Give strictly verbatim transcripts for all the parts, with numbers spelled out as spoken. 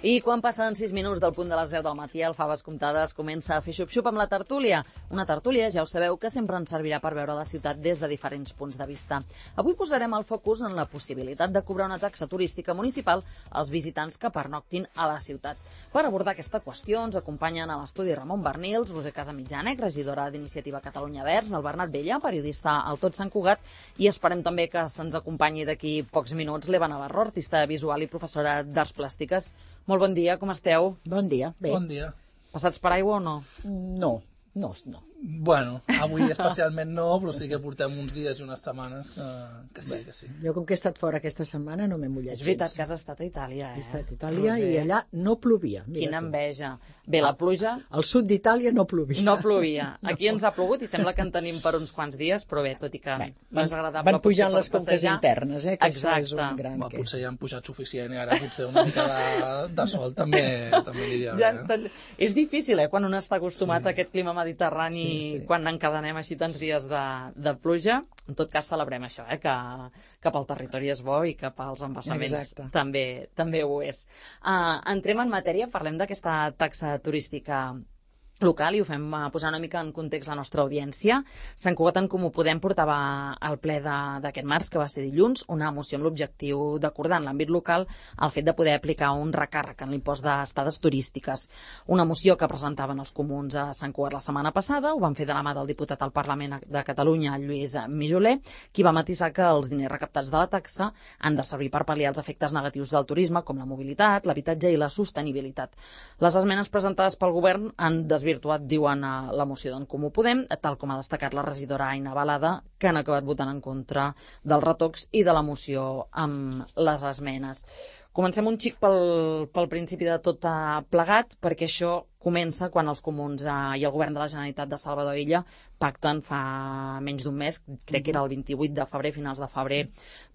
I quan passen sis minuts del punt de les deu del matí, el Faves Comptades comença a fer xup-xup amb la tertúlia. Una tertúlia, ja ho sabeu, que sempre ens servirà per veure la ciutat des de diferents punts de vista. Avui posarem el focus en la possibilitat de cobrar una taxa turística municipal als visitants que pernoctin a la ciutat. Per abordar aquesta qüestió ens acompanyen a l'estudi Ramon Bernils, Roser Casamitjànec, regidora d'Iniciativa Catalunya Verds, el Bernat Vella, periodista al Tot Sant Cugat, i esperem també que se'ns acompanyi d'aquí pocs minuts l'Eva Navarro, artista visual i professora d'Arts Plàstiques. Molt bon dia, com esteu? Bon dia, bé. Bon dia. Passats per aigua o no? No, no, no. Bueno, avui especialment no, però sí que portem uns dies i unes setmanes que, que sí, que sí. Jo, com que he estat fora aquesta setmana, no m'he mullat gens. És veritat que has estat a Itàlia, eh? He estat a Itàlia i allà no plovia. Quina enveja. Bé, la pluja... Al sud d'Itàlia no plovia. No plovia. Aquí ens ha plogut i sembla que en tenim per uns quants dies, però bé, tot i que Bé, no és agradable. Van pujant les conques internes, eh? Que això és un gran... Va, potser ja han pujat suficient i ara potser una mica de, de sol també, també diria bé. Ja, és difícil, eh? Quan un està acostumat sí. a aquest clima mediterrani, sí, sí. quan encadenem així tants dies de, de pluja. En tot cas, celebrem això, eh? que, que pel territori és bo i que pels embassaments també, també ho és. Uh, entrem en matèria, parlem d'aquesta taxa turística local i ho fem uh, posar una mica en context la nostra audiència. Sant Cugat en Comú Podem portava al ple d'aquest març, que va ser dilluns, una moció amb l'objectiu d'acordar en l'àmbit local el fet de poder aplicar un recàrrec en l'impost d'estades turístiques. Una moció que presentaven els comuns a Sant Cugat la setmana passada, ho van fer de la mà del diputat al Parlament de Catalunya, Lluís Mijoler, qui va matisar que els diners recaptats de la taxa han de servir per pal·liar els efectes negatius del turisme, com la mobilitat, l'habitatge i la sostenibilitat. Les esmenes presentades pel govern han desvirtuat virtuat, diuen a la moció d'en Comú Podem, tal com ha destacat la regidora Aina Balada, que han acabat votant en contra dels retocs i de la moció amb les esmenes. Comencem un xic pel, pel principi de tot plegat, perquè això comença quan els comuns eh, i el govern de la Generalitat de Salvador Illa pacten fa menys d'un mes, crec que era el vint-i-vuit de febrer, finals de febrer,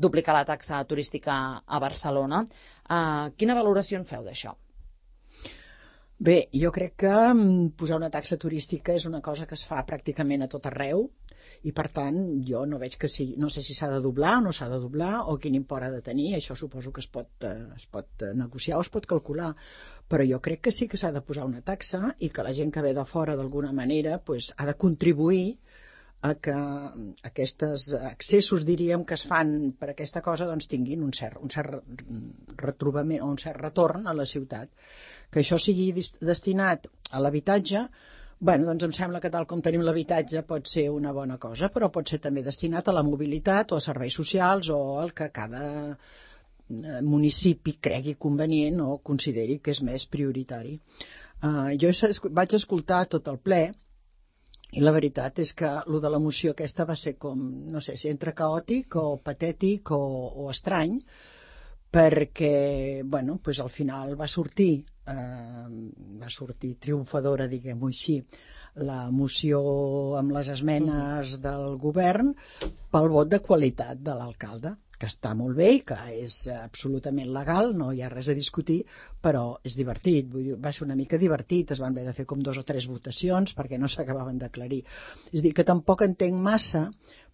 duplicar la taxa turística a Barcelona. Eh, quina valoració en feu d'això? Bé, jo crec que posar una taxa turística és una cosa que es fa pràcticament a tot arreu i, per tant, jo no veig que sigui, no sé si s'ha de doblar o no s'ha de doblar o quin import ha de tenir. Això suposo que es pot, eh, es pot negociar o es pot calcular, però jo crec que sí que s'ha de posar una taxa i que la gent que ve de fora d'alguna manera pues, ha de contribuir a que aquests accessos, diríem, que es fan per aquesta cosa doncs, tinguin un cert, un cert retrobament o un cert retorn a la ciutat. Que això sigui destinat a l'habitatge, bueno, doncs em sembla que tal com tenim l'habitatge pot ser una bona cosa, però pot ser també destinat a la mobilitat o a serveis socials o al que cada municipi cregui convenient o consideri que és més prioritari. Uh, jo vaig escoltar tot el ple i la veritat és que el de la moció aquesta va ser com, no sé, si entre caòtic o patètic o, o estrany, perquè, bueno, pues al final va sortir, eh, va sortir triomfadora, diguem-ho així, la moció amb les esmenes del govern pel vot de qualitat de l'alcalde, que està molt bé i que és absolutament legal, no hi ha res a discutir, però és divertit, vull dir, va ser una mica divertit, es van haver de fer com dos o tres votacions perquè no s'acabaven d'aclarir. És a dir, que tampoc entenc massa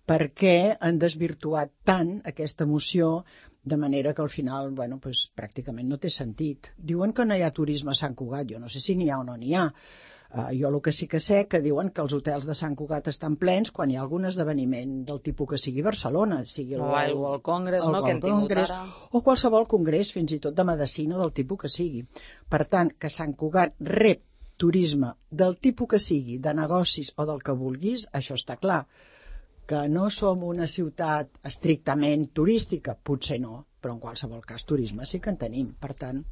per què han desvirtuat tant aquesta moció de manera que al final, bueno, pues, pràcticament no té sentit. Diuen que no hi ha turisme a Sant Cugat, jo no sé si n'hi ha o no n'hi ha. Uh, jo el que sí que sé que diuen que els hotels de Sant Cugat estan plens quan hi ha algun esdeveniment del tipus que sigui Barcelona, sigui el, o el World Congress, el, no, que hem tingut ara. O qualsevol congrés, fins i tot de medicina del tipus que sigui. Per tant, que Sant Cugat rep turisme del tipus que sigui, de negocis o del que vulguis, això està clar. Que no som una ciutat estrictament turística, potser no, però en qualsevol cas turisme sí que en tenim. Per tant,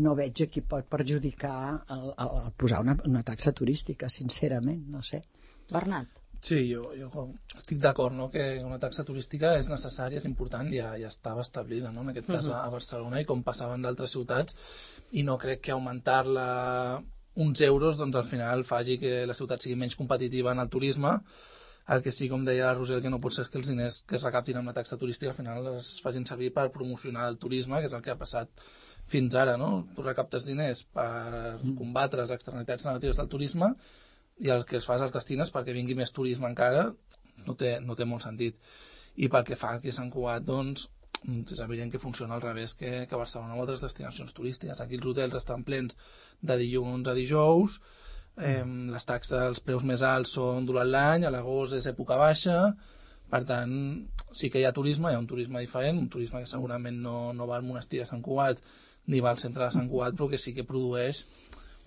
no veig a qui pot perjudicar el, el, el posar una, una taxa turística, sincerament, no sé. Bernat? Sí, jo, jo estic d'acord, no? Que una taxa turística és necessària, és important, ja, ja estava establida, no? En aquest cas a Barcelona i com passava en d'altres ciutats, i no crec que augmentar-la uns euros doncs al final faci que la ciutat sigui menys competitiva en el turisme. El que sí, com deia la Roser, que no pot ser que els diners que es recaptin amb la taxa turística al final es facin servir per promocionar el turisme, que és el que ha passat fins ara, no? Tu recaptes diners per combatre les externalitats negatives del turisme i el que es fa és els destines perquè vingui més turisme encara, no té, no té molt sentit. I pel que fa aquí a Sant Cugat, doncs, és evident que funciona al revés que, que a Barcelona o altres destinacions turístiques. Aquí els hotels estan plens de dilluns a dijous, eh, les taxes, els preus més alts són durant l'any, a l'agost és època baixa, per tant, sí que hi ha turisme, hi ha un turisme diferent, un turisme que segurament no, no va al monestir de Sant Cugat ni va al centre de Sant Cugat, però que sí que produeix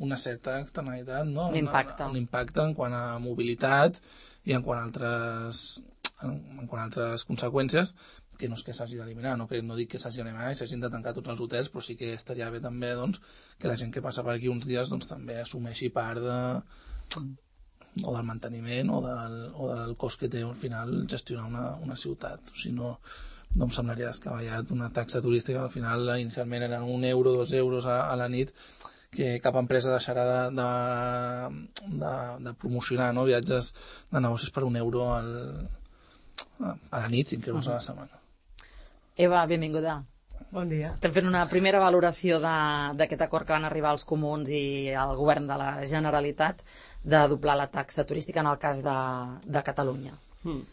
una certa externalitat, no? Un impacte. Un, un impacte en quant a mobilitat i en quant a altres, en, en quant a altres conseqüències, que no és que s'hagi d'eliminar, no, que no dic que s'hagi d'eliminar i s'hagin de tancar tots els hotels, però sí que estaria bé també doncs, que la gent que passa per aquí uns dies doncs, també assumeixi part de, o del manteniment o del, o del cost que té al final gestionar una, una ciutat. O sigui, no, no em semblaria descabellat una taxa turística, al final inicialment eren un euro, dos euros a, a la nit, que cap empresa deixarà de, de, de, de promocionar, no? Viatges de negocis per un euro al, a la nit, cinc euros a la setmana. Eva, benvinguda. Bon dia. Estem fent una primera valoració d'aquest acord que van arribar els comuns i el govern de la Generalitat de doblar la taxa turística en el cas de, de Catalunya. Hmm.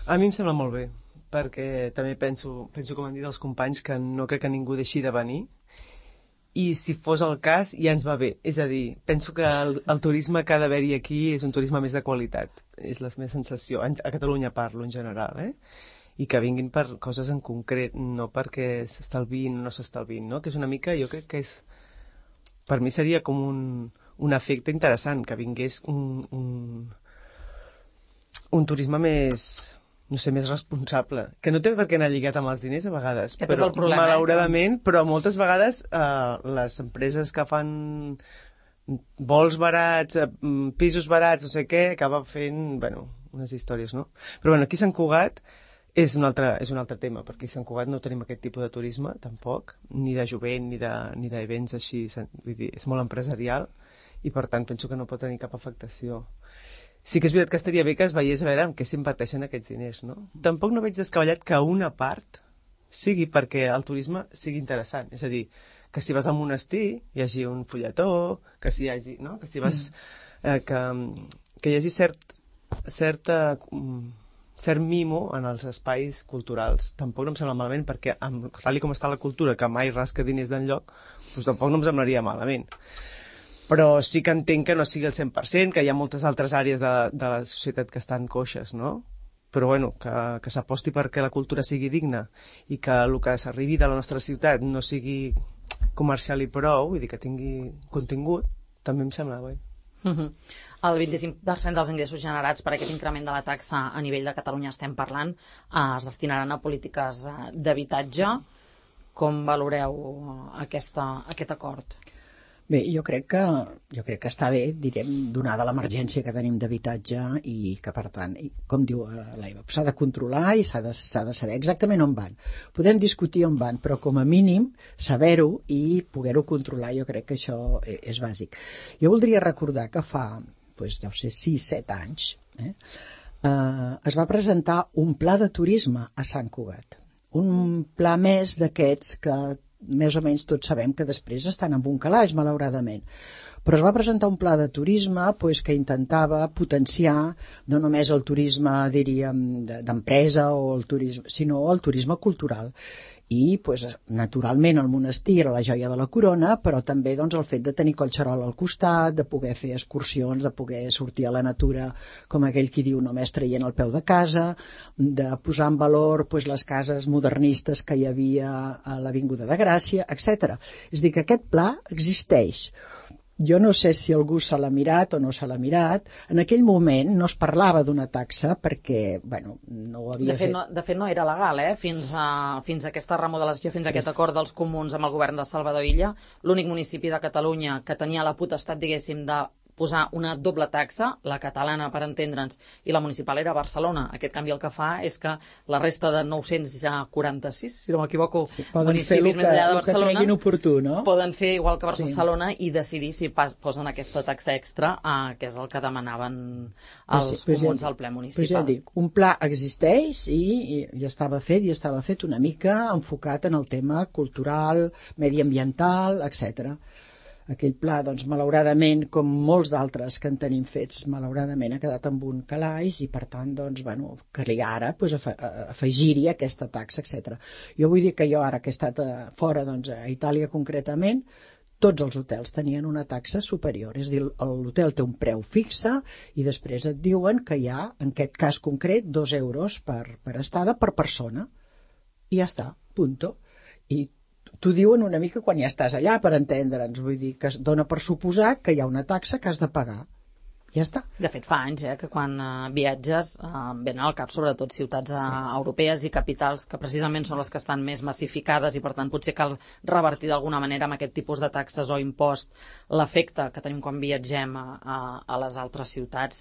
A mi em sembla molt bé, perquè també penso, penso com han dit els companys, que no crec que ningú deixi de venir, i si fos el cas ja ens va bé. És a dir, penso que el, el turisme que ha d'haver-hi aquí és un turisme més de qualitat. És la meva sensació. A Catalunya parlo en general, eh? I que vinguin per coses en concret, no perquè s'estalvin o no s'estalvin, no? Que és una mica, jo crec que és... Per mi seria com un, un efecte interessant, que vingués un, un, un turisme més... no sé, més responsable, que no té per què anar lligat amb els diners a vegades, Aquest però és el problema, malauradament, eh? Però moltes vegades eh, les empreses que fan vols barats, eh, pisos barats, no sé què, acaben fent, bueno, unes històries, no? Però bueno, aquí a Sant Cugat és un altre, és un altre tema, perquè a Sant Cugat no tenim aquest tipus de turisme, tampoc, ni de jovent, ni de, ni d'events així, vull dir, és molt empresarial, i per tant penso que no pot tenir cap afectació. Sí que és veritat que estaria bé que es veiés a veure en què s'inverteixen aquests diners, no? Tampoc no veig descabellat que una part sigui perquè el turisme sigui interessant, és a dir, que si vas al monestir hi hagi un fulletó, que si hi hagi, no? Que si vas... Eh, que, que hi hagi cert, certa, cert mimo en els espais culturals. Tampoc no em sembla malament, perquè amb, tal com està la cultura, que mai rasca diners d'enlloc, doncs tampoc no em semblaria malament. Però sí que entenc que no sigui el cent per cent, que hi ha moltes altres àrees de, de la societat que estan coixes, no? Però bueno, que, que s'aposti perquè la cultura sigui digna i que el que s'arribi de la nostra ciutat no sigui comercial i prou, vull dir que tingui contingut, també em sembla bé. Uh-huh. El vint-i-cinc per cent dels ingressos generats per aquest increment de la taxa a nivell de Catalunya estem parlant, eh, es destinaran a polítiques eh, d'habitatge. Com valoreu aquesta, aquest acord? Bé, jo crec que, jo crec que està bé, direm, donada l'emergència que tenim d'habitatge i que, per tant, com diu l'Eva, s'ha de controlar i s'ha de, s'ha de saber exactament on van. Podem discutir on van, però com a mínim saber-ho i poder-ho controlar, jo crec que això és bàsic. Jo voldria recordar que fa, doncs, deu ser sis set anys, eh, eh, es va presentar un pla de turisme a Sant Cugat. Un pla més d'aquests que més o menys tots sabem que després estan en un calaix, malauradament. Però es va presentar un pla de turisme pues, que intentava potenciar no només el turisme, diríem, d'empresa, o el turisme, sinó el turisme cultural. I, pues, naturalment, el monestir era la joia de la corona, però també doncs, el fet de tenir Collserola al costat, de poder fer excursions, de poder sortir a la natura, com aquell qui diu, només traient el peu de casa, de posar en valor pues, les cases modernistes que hi havia a l'Avinguda de Gràcia, etcètera. És a dir, que aquest pla existeix. Jo no sé si algú se l'ha mirat o no se l'ha mirat. En aquell moment no es parlava d'una taxa perquè, bueno, no ho havia de fet. fet. No, de fet, no era legal, eh? Fins a, fins a aquesta remodelació, fins a aquest acord dels comuns amb el govern de Salvador Illa, l'únic municipi de Catalunya que tenia la potestat, diguéssim, de posar una doble taxa, la catalana, per entendre'ns, i la municipal era Barcelona. Aquest canvi el que fa és que la resta de nou-cents quaranta-sis, si no m'equivoco, sí, poden municipis fer més enllà de Barcelona, que oportú, no? Poden fer igual que Barcelona sí. i decidir si pas, posen aquesta taxa extra, eh, que és el que demanaven els pues sí, comuns ja, al ple municipal. Pues ja dic, un pla existeix i, i, i estava fet, i estava fet una mica enfocat en el tema cultural, mediambiental, etcètera. Aquell pla, doncs, malauradament, com molts d'altres que en tenim fets, malauradament ha quedat amb un calaix i, per tant, doncs, bueno, calia ara doncs, afegir-hi aquesta taxa, etcètera. Jo vull dir que jo ara que he estat a, fora, doncs, a Itàlia concretament, tots els hotels tenien una taxa superior. És a dir, l'hotel té un preu fixe i després et diuen que hi ha, en aquest cas concret, dos euros per, per estada per persona. I ja està, punto. I t'ho diuen una mica quan ja estàs allà, per entendre'ns. Vull dir que es dona per suposar que hi ha una taxa que has de pagar. Ja està. De fet, fa anys eh, que quan eh, viatges eh, venen al cap sobretot ciutats eh, sí. europees i capitals que precisament són les que estan més massificades i per tant potser cal revertir d'alguna manera amb aquest tipus de taxes o impost l'efecte que tenim quan viatgem a, a, a les altres ciutats.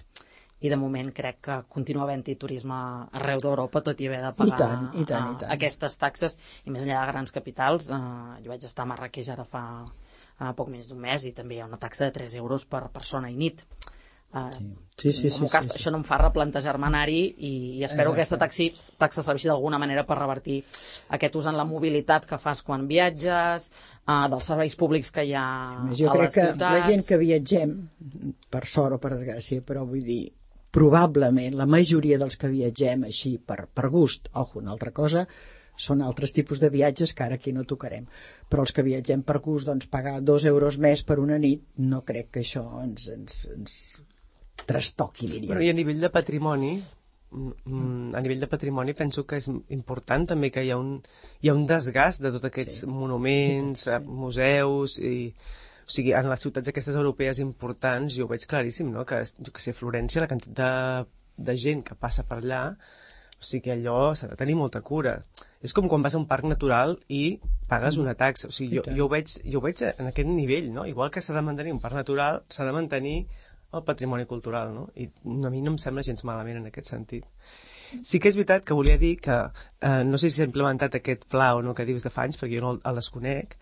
I de moment crec que continua havent-hi turisme arreu d'Europa, tot i haver de pagar I tant, i tant, i tant. aquestes taxes. I més enllà de grans capitals, eh, jo vaig estar a Marrakeix ara fa eh, poc més d'un mes i també hi ha una taxa de tres euros per persona i nit. Uh, sí, sí, sí, cas, sí, sí. Això no em fa replantejar-me anar-hi i, i espero Exacte. que aquesta taxi, taxa serveixi d'alguna manera per revertir aquest ús en la mobilitat que fas quan viatges, uh, dels serveis públics que hi ha jo a les ciutats. Jo crec que la gent que viatgem, per sort o per desgràcia, però vull dir, probablement la majoria dels que viatgem així per, per gust, ojo, una altra cosa, són altres tipus de viatges que ara aquí no tocarem. Però els que viatgem per gust, doncs pagar dos euros més per una nit, no crec que això ens, ens, ens trastoqui, diria. Però i a nivell de patrimoni, a nivell de patrimoni penso que és important també que hi ha un, hi ha un desgast de tots aquests sí. monuments, sí. museus i... O sigui, en les ciutats aquestes europees importants jo ho veig claríssim, no? Que, jo que sé, Florència, la quantitat de, de gent que passa per allà, o sigui, allò s'ha de tenir molta cura. És com quan vas a un parc natural i pagues una taxa. O sigui, jo, jo, ho veig, jo ho veig en aquest nivell, no? Igual que s'ha de mantenir un parc natural, s'ha de mantenir el patrimoni cultural, no? I a mi no em sembla gens malament en aquest sentit. Sí que és veritat que volia dir que, eh, no sé si s'ha implementat aquest pla o no que dius de fa anys, perquè jo no el, el desconec,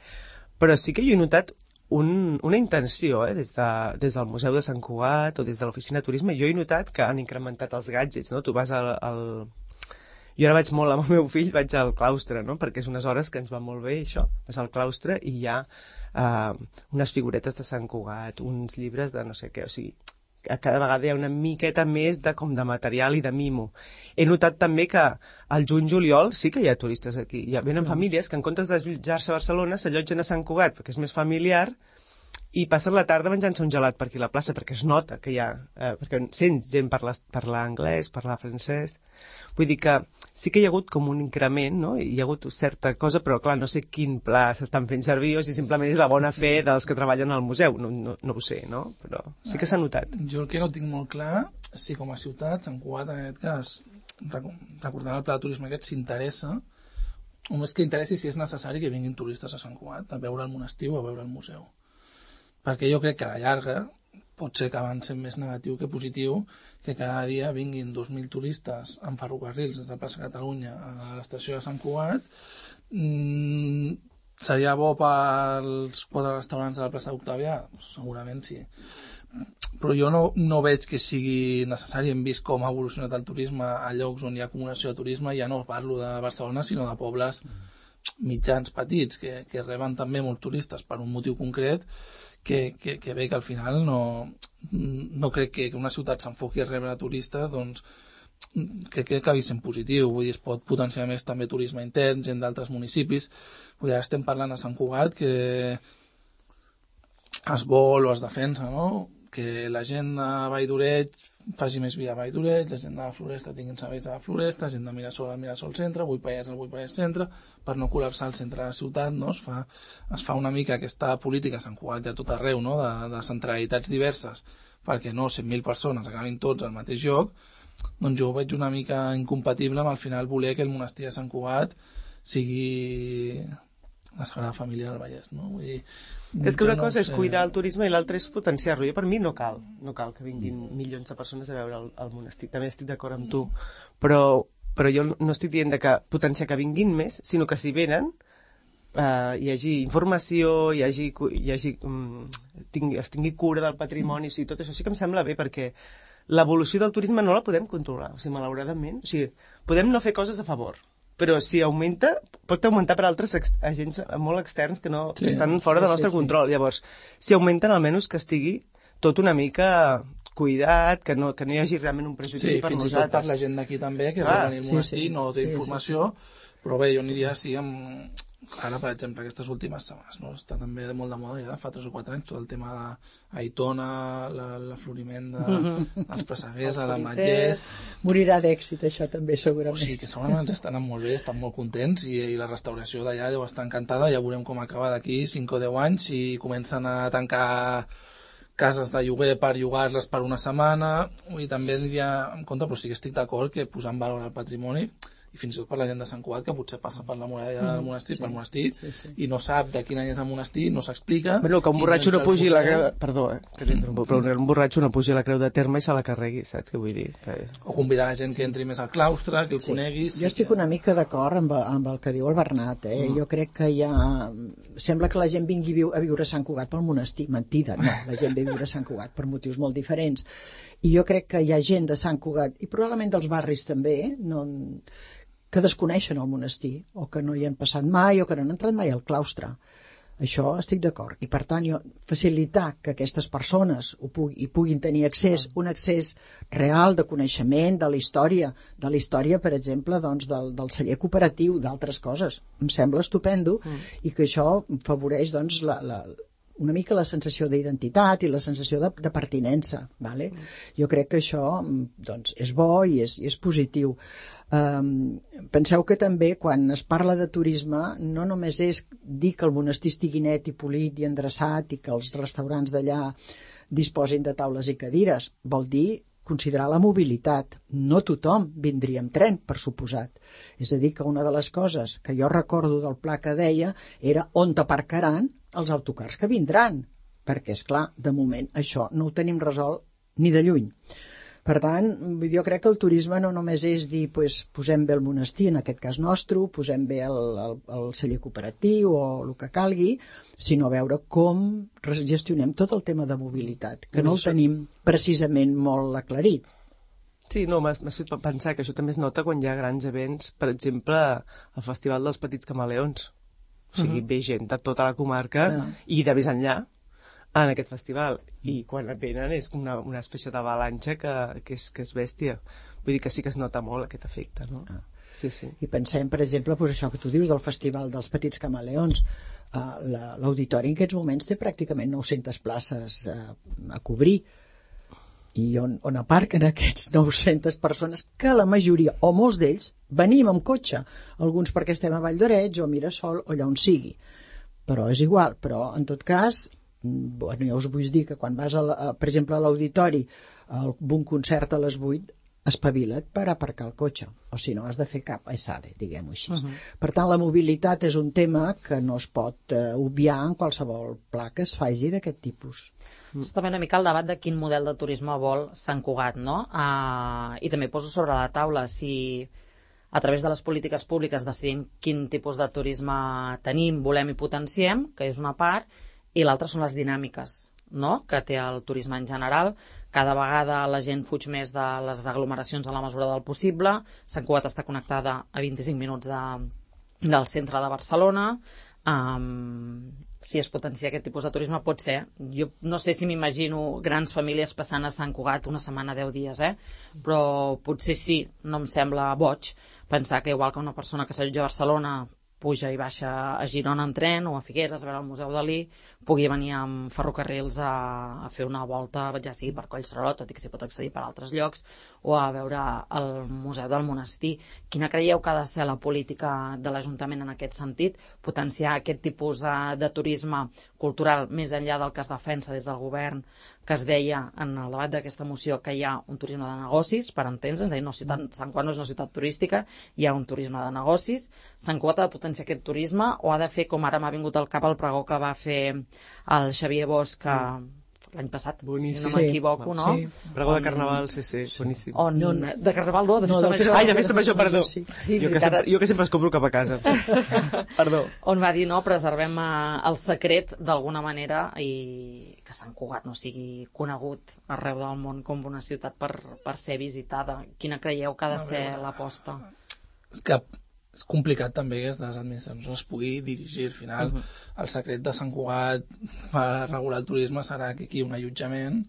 però sí que jo he notat Un, una intenció, eh, des, de, des del Museu de Sant Cugat o des de l'Oficina de Turisme, jo he notat que han incrementat els gadgets, no? Tu vas al... al... Jo ara vaig molt amb el meu fill, vaig al claustre, no? Perquè és unes hores que ens va molt bé, això. Vas al claustre i hi ha uh, unes figuretes de Sant Cugat, uns llibres de no sé què, o sigui, cada vegada hi ha una miqueta més de, com de material i de mimo. He notat també que al juny-juliol sí que hi ha turistes aquí. Hi ha, venen mm. famílies que en comptes d'allotjar-se a Barcelona s'allotgen a Sant Cugat perquè és més familiar i passen la tarda menjant-se un gelat per aquí a la plaça perquè es nota que hi ha... Eh, perquè sents gent parlar, parlar anglès, parlar francès... Vull dir que sí que hi ha hagut com un increment, no? Hi ha hagut certa cosa, però clar, no sé quin pla s'estan fent servir o si simplement és la bona fe dels que treballen al museu. No, no, no ho sé, no? Però sí que s'ha notat. Jo el que no tinc molt clar, si com a ciutat, Sant Cugat en aquest cas, recordant el pla de turisme aquest, s'interessa, o més que interessi si és necessari que vinguin turistes a Sant Cugat a veure el monestir o a veure el museu. Perquè jo crec que a la llarga pot ser que avanci més negatiu que positiu que cada dia vinguin dos mil turistes en ferrocarrils des de Plaça Catalunya a l'estació de Sant Cugat. Mm, seria bo pels quatre restaurants de la plaça d'Octavià? Segurament sí. Però jo no, no veig que sigui necessari. Hem vist com ha evolucionat el turisme a llocs on hi ha acumulació de turisme. Ja no parlo de Barcelona, sinó de pobles mitjans petits que, que reben també molts turistes per un motiu concret que, que, que bé que al final no, no crec que una ciutat s'enfoqui a rebre turistes, doncs crec que acabi sent positiu. Vull dir, es pot potenciar més també turisme intern, gent d'altres municipis. Vull dir, ara estem parlant a Sant Cugat que es vol o es defensa, no? Que la gent de Vall d'Oreig faci més via a Vall d'Oreig, la gent de la Floresta tinguin serveis a la Floresta, la gent de Mirasol al Mirasol Centre, Buipallès al Buipallès Centre, per no col·lapsar el centre de la ciutat, no? Es fa, es fa una mica aquesta política a Sant Cugat i a tot arreu, no? de, de centralitats diverses, perquè no cent mil persones acabin tots al mateix lloc. Doncs jo ho veig una mica incompatible amb al final voler que el monestir de Sant Cugat sigui la Sagrada Família del Vallès, no? Vull dir, és que una cosa no és sé... cuidar el turisme i l'altra és potenciar-lo. Jo per mi no cal, no cal que vinguin milions de persones a veure el, el monestir. També estic d'acord amb tu, però, però jo no estic dient de que potenciar que vinguin més, sinó que si venen eh, hi hagi informació, hi hagi, hi hagi um, tingui, es tingui cura del patrimoni, o sigui, tot això sí que em sembla bé, perquè l'evolució del turisme no la podem controlar, o sigui, malauradament. O sigui, podem no fer coses a favor, però si augmenta, pot augmentar per altres ex agents molt externs que, no, Sí. que estan fora del nostre Sí, sí, sí. control. Llavors, si augmenten, almenys que estigui tot una mica cuidat, que no, que no hi hagi realment un prejudici Sí, per fins i tot nosaltres. per la gent d'aquí també, que Clar, va venir al sí, monestir, sí. no té Sí, sí, informació, però bé, jo aniria així amb... Ara, per exemple, aquestes últimes setmanes, no? Està també de molt de moda ja, fa tres o quatre anys, tot el tema d'Aitona, l'afloriment de, dels presseguers, a la Matllers... Morirà d'èxit, això també, O segurament. sigui, que segurament ens estan anant molt bé, estan molt contents i, i la restauració d'allà deu estar encantada, ja veurem com acaba d'aquí cinc o deu anys i comencen a tancar cases de lloguer per llogar-les per una setmana, i també aniria en compte, però sí que estic d'acord que posar en valor el patrimoni, i fins i tot per la gent de Sant Cugat, que potser passa per la muralla del monestir, sí, pel monestir, sí, sí. i no sap de quin any és el monestir, no s'explica. Bueno, que un i borratxo no entra al pugi la museu, creu... Perdó, eh, que t'interrompo, però un borratxo no pugi la creu de terme i se la carregui, saps què vull dir? Que... O convidar la gent que entri més al claustre, que el coneguis... Jo estic una mica d'acord amb, amb el que diu el Bernat, eh? Mm. Jo crec que hi ha... Sembla que la gent vingui viu, a viure a Sant Cugat pel monestir. Mentida, no. La gent ve a viure a Sant Cugat per motius molt diferents. I jo crec que hi ha gent de Sant Cugat, i probablement dels barris també, no... que desconeixen el monestir, o que no hi han passat mai, o que no han entrat mai al claustre. Això estic d'acord. I per tant, jo, facilitar que aquestes persones ho pugui, hi puguin tenir accés, un accés real de coneixement de la història, de la història, per exemple, doncs, del, del celler cooperatiu, d'altres coses. Em sembla estupendo, mm. i que això favoreix doncs, la, la, una mica la sensació d'identitat i la sensació de, de pertinença. Vale? Mm. Jo crec que això doncs, és bo i és, i és positiu. Um, penseu que també quan es parla de turisme no només és dir que el monestir estigui net i polit i endreçat i que els restaurants d'allà disposin de taules i cadires, vol dir considerar la mobilitat. No tothom vindria amb tren, per suposat. És a dir, que una de les coses que jo recordo del pla que deia era on t'aparcaran els autocars que vindran, perquè, és clar, de moment això no ho tenim resolt ni de lluny. Per tant, jo crec que el turisme no només és dir, pues, posem bé el monestir, en aquest cas nostre, posem bé el, el, el celler cooperatiu o el que calgui, sinó veure com gestionem tot el tema de mobilitat, que no el tenim precisament molt aclarit. Sí, no, m'has fet pensar que això també es nota quan hi ha grans events, per exemple, el Festival dels Petits Camaleons. O sigui, uh-huh. ve gent de tota la comarca uh-huh. i de més enllà en aquest festival, i quan venen és una, una espècie d'avalanxa que, que, és, que és bèstia. Vull dir que sí que es nota molt aquest efecte, no? Ah. Sí, sí. I pensem, per exemple, pues això que tu dius del Festival dels Petits Camaleons. Uh, l'auditori en aquests moments té pràcticament nou-centes places uh, a cobrir, i on, on aparquen aquests nou-centes persones, que la majoria, o molts d'ells, venim amb cotxe, alguns perquè estem a Vall d'Oreig o a Mirasol o allà on sigui, però és igual. Però en tot cas, bueno, jo us vull dir que quan vas a la, a, per exemple a l'auditori a un concert a les vuit, espavila't per aparcar el cotxe, o si no has de fer cap aissade, diguem-ho així. Uh-huh. Per tant, la mobilitat és un tema que no es pot uh, obviar en qualsevol pla que es faci d'aquest tipus. Mm. És també una mica el debat de quin model de turisme vol Sant Cugat, no? Uh, I també poso sobre la taula si a través de les polítiques públiques decidim quin tipus de turisme tenim, volem i potenciem, que és una part, i l'altra són les dinàmiques, no? Que té el turisme en general. Cada vegada la gent fuig més de les aglomeracions a la mesura del possible. Sant Cugat està connectada a vint-i-cinc minuts de, del centre de Barcelona. Um, si es potencia aquest tipus de turisme pot ser. Jo no sé si m'imagino grans famílies passant a Sant Cugat una setmana, deu dies, eh? Però potser sí, no em sembla boig pensar que igual que una persona que s'allotja a Barcelona puja i baixa a Girona en tren o a Figueres a veure el Museu Dalí, pugui venir amb ferrocarrils a, a fer una volta, ja sigui per Collserola, tot i que s'hi pot accedir per altres llocs, o a veure el Museu del Monestir. Quina creieu que ha de ser la política de l'Ajuntament en aquest sentit? Potenciar aquest tipus de, de turisme cultural més enllà del que es defensa des del govern, que es deia en el debat d'aquesta moció que hi ha un turisme de negocis, per entendre'ns, és a dir, no ciutat, Sant Cugat no és una ciutat turística, hi ha un turisme de negocis. Sant Cugat ha de potenciar aquest turisme o ha de fer, com ara m'ha vingut al cap el pregó que va fer el Xavier Bosch mm. l'any passat, boníssim. Si no m'equivoco, no? Sí. Pregó de Carnaval, sí, sí, boníssim. On, no, no. De Carnaval no, de Festa no, Major. Ai, de Festa Major, perdó. Sí. Sí, jo, que sempre, jo que sempre es compro cap a casa. Perdó. On va dir, no, preservem el secret d'alguna manera i que Sant Cugat no sigui conegut arreu del món com una ciutat per, per ser visitada. Quina creieu que ha de ser l'aposta? És que és complicat també que les administracions es pugui dirigir. Al final, uh -huh. el secret de Sant Cugat per regular el turisme serà que aquí un allotjament,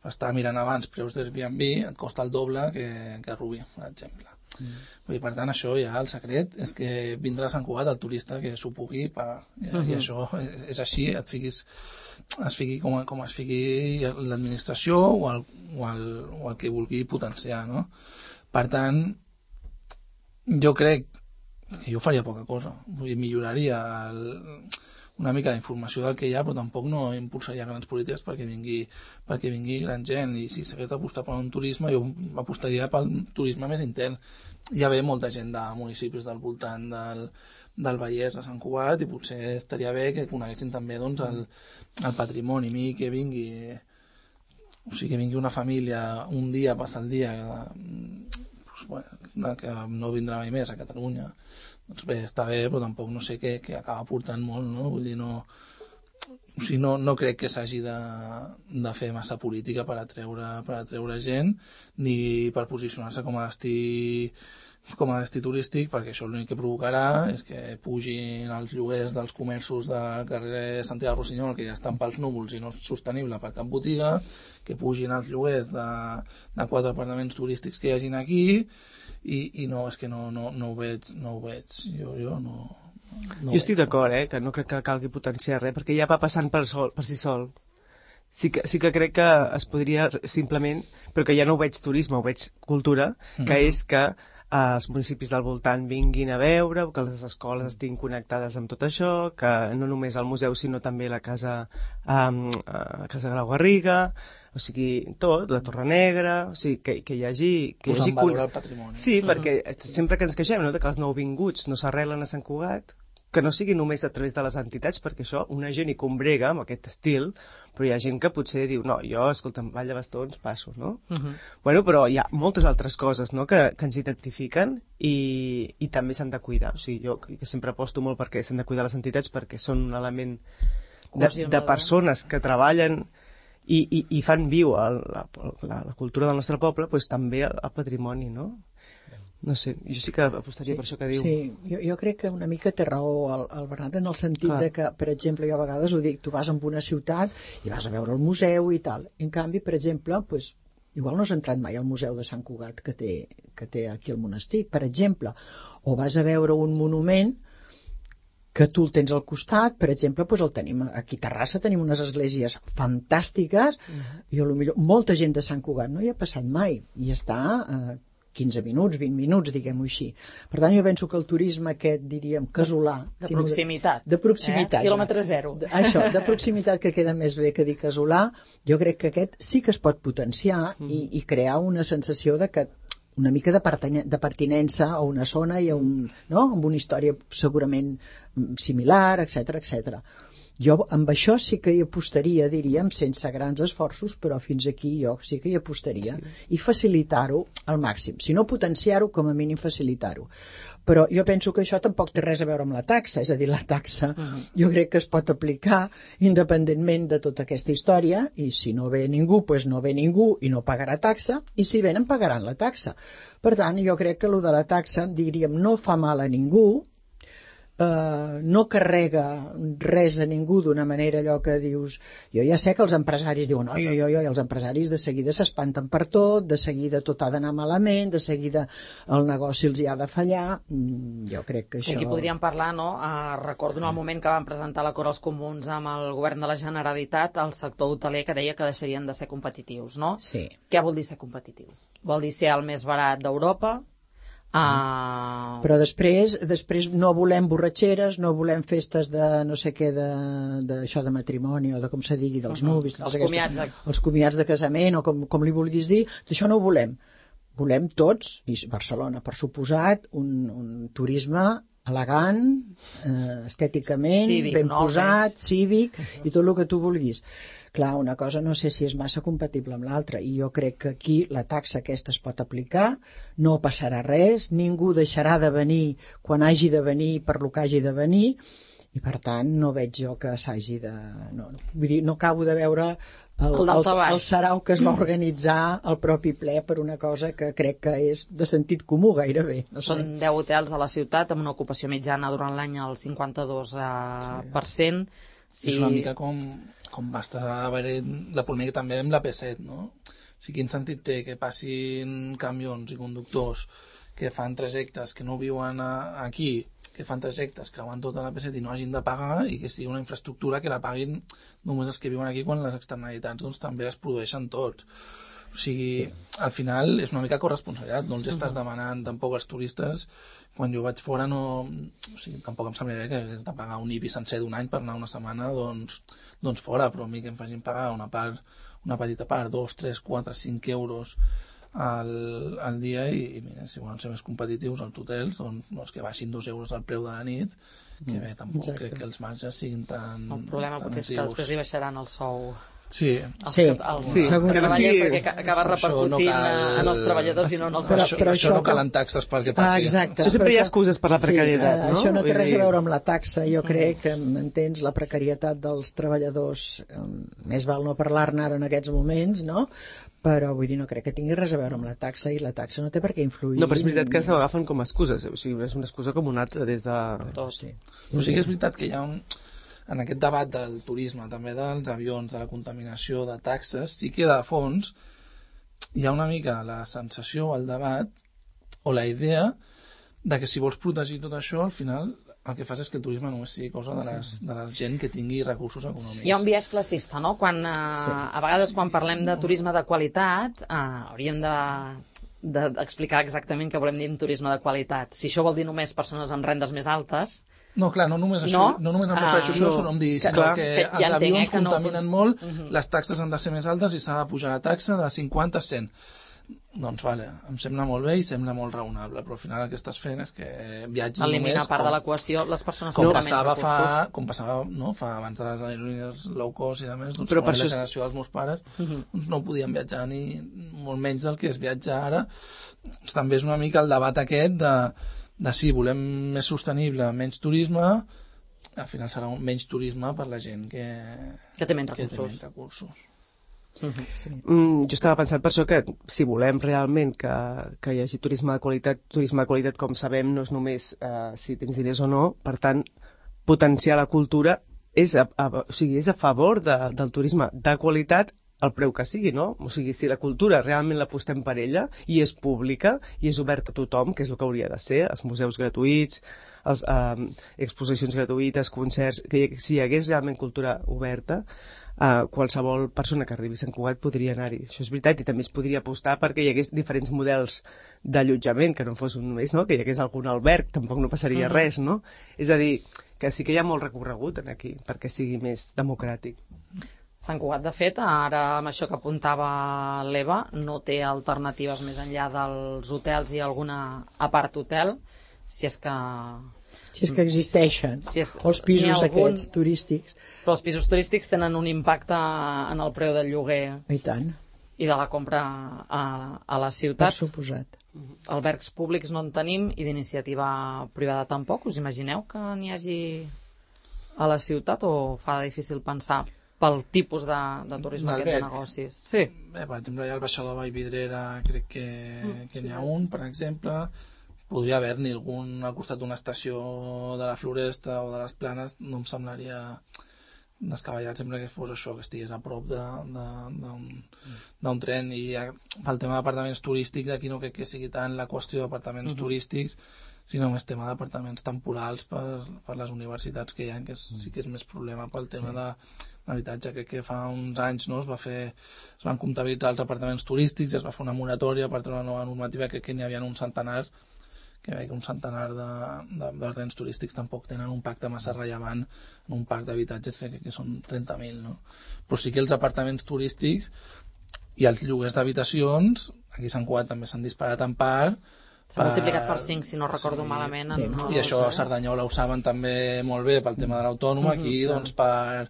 estava mirant abans preus d'Airbnb, et costa el doble que, que a Rubí, per exemple. Mm. Vull dir, per tant, això ja, el secret és que vindrà a Sant Cugat el turista que s'ho pugui pagar. I, uh -huh. i això és així, et fiquis, es fiqui com, com es fiqui l'administració o el, o, el, o el que vulgui potenciar, no? Per tant, jo crec que jo faria poca cosa. Vull dir, milloraria el, una mica la informació del que hi ha, però tampoc no impulsaria grans polítiques perquè vingui, perquè vingui gran gent. I si s'hagués d'apostar per un turisme, jo apostaria pel turisme més intern. Hi ha bé molta gent de municipis del voltant del, del Vallès, de Sant Cugat, i potser estaria bé que coneguessin també doncs, el, el patrimoni. A mi que vingui, o sigui, que vingui una família un dia, passar el dia, doncs, bueno, que no vindrà mai més a Catalunya, doncs bé, està bé, però tampoc no sé què, què acaba portant molt, no? Vull dir, no, o sigui, no, no crec que s'hagi de, de fer massa política per atreure, per atreure gent, ni per posicionar-se com a destí com a destí turístic, perquè això l'únic que provocarà és que pugin els lloguers dels comerços del carrer Santiago Rossinyol, que ja estan pels núvols i no és sostenible per cap botiga, que pugin els lloguers de, de quatre apartaments turístics que hi hagin aquí, i, i no, és que no, no, no ho veig, no ho veig. Jo, jo no... no jo estic d'acord, eh, que no crec que calgui potenciar res, perquè ja va passant per, sol, per si sol. Sí que, sí que crec que es podria simplement, però que ja no ho veig turisme, ho veig cultura, que mm-hmm. és que els municipis del voltant vinguin a veure, que les escoles estiguin connectades amb tot això, que no només el museu sinó també la casa, um, uh, casa Grau Garriga, o sigui, tot, la Torre Negra, o sigui, que, que hi hagi... Que posar hi hagi en valor el patrimoni. Sí, mm-hmm. perquè sempre que ens queixem, no?, de que els nouvinguts no s'arrelen a Sant Cugat, que no sigui només a través de les entitats, perquè això, una gent hi combrega amb aquest estil, però hi ha gent que potser diu, no, jo, escolta'm, Vall de Bastons, passo, no? Uh-huh. Bueno, però hi ha moltes altres coses, no?, que, que ens identifiquen i, i també s'han de cuidar. O sigui, jo que sempre aposto molt perquè s'han de cuidar les entitats perquè són un element de, de persones que treballen i, i, i fan viu el, la, la, la cultura del nostre poble, doncs també el, el patrimoni, no? No sé, jo sí que apostaria sí, per això que diu. Sí, jo, jo crec que una mica té raó el, el Bernat en el sentit Clar. de que, per exemple, jo a vegades ho dic, tu vas a una ciutat i vas a veure el museu i tal. En canvi, per exemple, pues, igual no has entrat mai al museu de Sant Cugat que té, que té aquí el monestir, per exemple, o vas a veure un monument que tu el tens al costat, per exemple, doncs el tenim aquí a Terrassa, tenim unes esglésies fantàstiques, uh-huh. i potser molta gent de Sant Cugat no hi ha passat mai, i està eh, quinze minuts, vint minuts, diguem-ho així. Per tant, jo penso que el turisme aquest, diríem, casolà... De si proximitat. De proximitat. Eh? Quilòmetre zero. De, això, de proximitat, que queda més bé que dir casolà, jo crec que aquest sí que es pot potenciar mm. i, i crear una sensació de que una mica de, de pertinença a una zona i a un, no? amb una història segurament similar, etcètera, etcètera. Jo amb això sí que hi apostaria, diríem, sense grans esforços, però fins aquí jo sí que hi apostaria. Sí. I facilitar-ho al màxim. Si no potenciar-ho, com a mínim facilitar-ho. Però jo penso que això tampoc té res a veure amb la taxa, és a dir, la taxa uh-huh. jo crec que es pot aplicar independentment de tota aquesta història, i si no ve ningú, doncs no ve ningú i no pagarà taxa, i si venen pagaran la taxa. Per tant, jo crec que allò de la taxa, diríem, no fa mal a ningú, Uh, no carrega res a ningú d'una manera allò que dius... Jo ja sé que els empresaris diuen oi, oi, oi, oi, els empresaris de seguida s'espanten per tot, de seguida tot ha d'anar malament, de seguida el negoci els hi ha de fallar. Mm, jo crec que sí, això... Aquí podríem parlar, no? Uh, recordo en el moment que van presentar l'acord als comuns amb el govern de la Generalitat, el sector hoteler que deia que deixarien de ser competitius, no? Sí. Què vol dir ser competitiu? Vol dir ser el més barat d'Europa? Uh... Però després després no volem borratxeres, no volem festes de no sé què, d'això de, de matrimoni o de com se digui, dels uh-huh. nuvis, els comiats de... els comiats de casament o com, com li vulguis dir, d'això no ho volem. Volem tots, i Barcelona per suposat, un, un turisme elegant, eh, estèticament, cívic, ben no, posat, bé. cívic, uh-huh. i tot el que tu vulguis. Clar, una cosa no sé si és massa compatible amb l'altra, i jo crec que aquí la taxa aquesta es pot aplicar, no passarà res, ningú deixarà de venir quan hagi de venir per lo que hagi de venir, i per tant no veig jo que s'hagi de... No, vull dir, no acabo de veure el, el, el, el sarau que es va organitzar al propi ple per una cosa que crec que és de sentit comú gairebé. No sé. Són deu hotels a la ciutat amb una ocupació mitjana durant l'any al cinquanta-dos per cent. Sí. És una mica com, com va estar haver la polèmica també amb la P set, no? O sigui, quin sentit té que passin camions i conductors que fan trajectes que no viuen a, aquí, que fan trajectes, creuen tota la P set i no hagin de pagar, i que sigui una infraestructura que la paguin només els que viuen aquí, quan les externalitats doncs, també es produeixen tots. O sigui, sí. Al final és una mica corresponsabilitat, no els estàs demanant tampoc als turistes. Quan jo vaig fora no... O sigui, tampoc em semblaria que hagués de pagar un I B I sencer d'un any per anar una setmana doncs, doncs fora, però a mi que em facin pagar una part, una petita part, dos, tres, quatre, cinc euros al, al dia, i, i mira, si volen ser més competitius als hotels, doncs, doncs que baixin dos euros al preu de la nit, que bé, tampoc Exacte. Crec que els marges siguin tan... El problema tan potser és que després li baixaran el sou. Sí, els sí, que, els, sí. Els que treballen, sí. perquè acaba repercutint no cal... en els treballadors i no en els beneficis. Però, però això no calen taxes perquè passi. Ah, exacte. Això sempre hi ha excuses per la precarietat, sí, no? Això no té res a veure amb la taxa. Jo crec que, entens, la precarietat dels treballadors, més val no parlar-ne ara en aquests moments, no? Però vull dir, no crec que tingui res a veure amb la taxa, i la taxa no té per què influir. No, però és veritat que se l'agafen com a excuses, o sigui, és una excusa com una altra des de... Tot, sí. O sigui, és veritat que hi ha un... En aquest debat del turisme, també dels avions, de la contaminació, de taxes, sí que de fons hi ha una mica la sensació, el debat, o la idea de que si vols protegir tot això, al final el que fas és que el turisme només sigui cosa de, les, de la gent que tingui recursos econòmics. Hi ha un biaix classista, no? Quan, eh, sí. A vegades quan parlem de turisme de qualitat, eh, hauríem de d'explicar exactament què volem dir amb turisme de qualitat. Si això vol dir només persones amb rendes més altes... No, clar, no només això, no, no només em refereixo a això, no, em dir, sinó clar, que, que els ja avions que contaminen no... molt, uh -huh. Les taxes han de ser més altes i s'ha de pujar la taxa de cinquanta a cent. Doncs vale, em sembla molt bé i sembla molt raonable, però al final el que estàs fent és que viatgin només... Eliminar part com, de l'equació les persones com passava fa, com passava no, fa abans de les aerolínies low cost i de més, doncs però per la generació és... dels meus pares uh -huh. doncs no podien viatjar ni molt menys del que es viatja ara. Doncs també és una mica el debat aquest de de si volem més sostenible, menys turisme, al final serà un menys turisme per la gent que, que té menys recursos. Que té menys recursos. Uh-huh. Sí. Mm, jo estava pensant per això que si volem realment que, que hi hagi turisme de qualitat, turisme de qualitat, com sabem, no és només uh, si tens diners o no, per tant, potenciar la cultura és a, a, o sigui, és a favor de, del turisme de qualitat el preu que sigui, no? O sigui, si la cultura realment l'apostem per ella i és pública i és oberta a tothom, que és el que hauria de ser, els museus gratuïts, les eh, exposicions gratuïtes, concerts, que si hi hagués realment cultura oberta, eh, qualsevol persona que arribi a Sant Cugat podria anar-hi. Això és veritat, i també es podria apostar perquè hi hagués diferents models d'allotjament, que no fos un només, no? Que hi hagués algun alberg, tampoc no passaria uh-huh. res, no? És a dir, que sí que hi ha molt recorregut aquí perquè sigui més democràtic. Sant Cugat, de fet, ara amb això que apuntava l'Eva, no té alternatives més enllà dels hotels i alguna apart hotel, si és que... Si és que existeixen, si és... o els pisos algun... aquests turístics. Però els pisos turístics tenen un impacte en el preu del lloguer. I tant. I de la compra a, a la ciutat. Per suposat. Albergs públics no en tenim i d'iniciativa privada tampoc. Us imagineu que n'hi hagi a la ciutat o fa difícil pensar pel tipus de, de turisme aquest de negocis? Sí. Bé, per exemple, hi ha el baixador de Vallvidrera, crec que, mm, que n'hi ha un, per exemple. Podria haver-n'hi algun al costat d'una estació de la Floresta o de les Planes, no em semblaria descabellat sempre que fos això, que estigués a prop d'un tren. I pel tema d'apartaments turístics, aquí no crec que sigui tant la qüestió d'apartaments uh-huh. turístics, sinó més tema d'apartaments temporals per, per les universitats que hi ha, que és, sí que és més problema pel tema sí. de l'habitatge. Crec que fa uns anys no, es, va fer, es van comptabilitzar els apartaments turístics, es va fer una moratòria per treure una nova normativa, crec que n'hi havia un centenar, que veig que un centenar d'apartaments turístics tampoc tenen un impacte massa rellevant en un parc d'habitatges que, que són trenta mil, no? Però sí que els apartaments turístics i els lloguers d'habitacions, aquí a Sant Cugat també s'han disparat en part. S'ha multiplicat per cinc, si no recordo sí, malament. Sí, en, I això a Cerdanyola ho saben també molt bé pel tema de l'autònoma, mm-hmm, aquí clar. doncs per,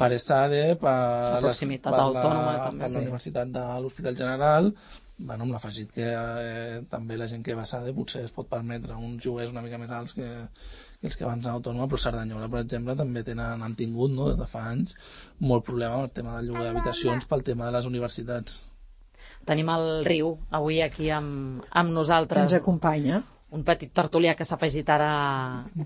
per ESADE, per, la proximitat les, per, autònoma, la, també, per sí. la Universitat de l'Hospital General, bueno, amb l'afegit que eh, també la gent que va a Sade potser es pot permetre uns lloguers una mica més alts que, que els que abans anaven autònoma, però Cerdanyola, per exemple, també tenen, han tingut, no, des de fa anys, molt problema amb el tema del lloguer d'habitacions pel tema de les universitats. Tenim el Riu avui aquí amb, amb nosaltres. Ens acompanya. Un petit tertulià que s'ha afegit ara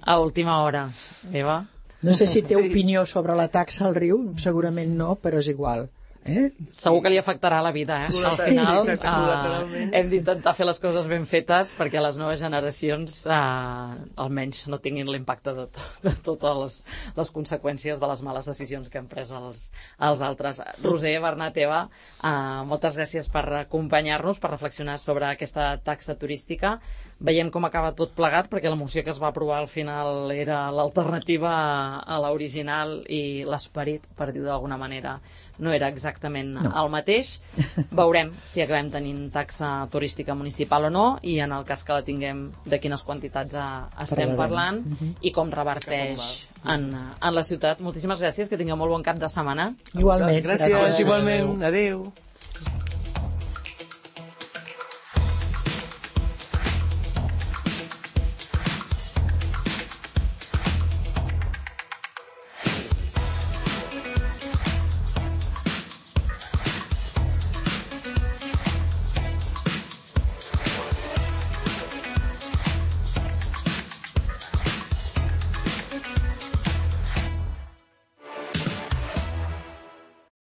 a última hora. Eva? No sé si té opinió sobre la taxa al Riu, segurament no, però és igual. Eh? Segur que li afectarà la vida, eh? Al final sí, uh, hem d'intentar fer les coses ben fetes perquè les noves generacions uh, almenys no tinguin l'impacte de, to de totes les, les conseqüències de les males decisions que han pres els, els altres. Roser, Bernat, Eva, uh, moltes gràcies per acompanyar-nos, per reflexionar sobre aquesta taxa turística. Veiem com acaba tot plegat, perquè la moció que es va aprovar al final era l'alternativa a l'original i l'esperit, per dir d'alguna manera, no era exactament no. el mateix. Veurem si acabem tenint taxa turística municipal o no, i en el cas que la tinguem, de quines quantitats estem parlant uh -huh. i com reverteix en, en la ciutat. Moltíssimes gràcies, que tingueu molt bon cap de setmana. Igualment. Gràcies, gràcies. Igualment. Adéu.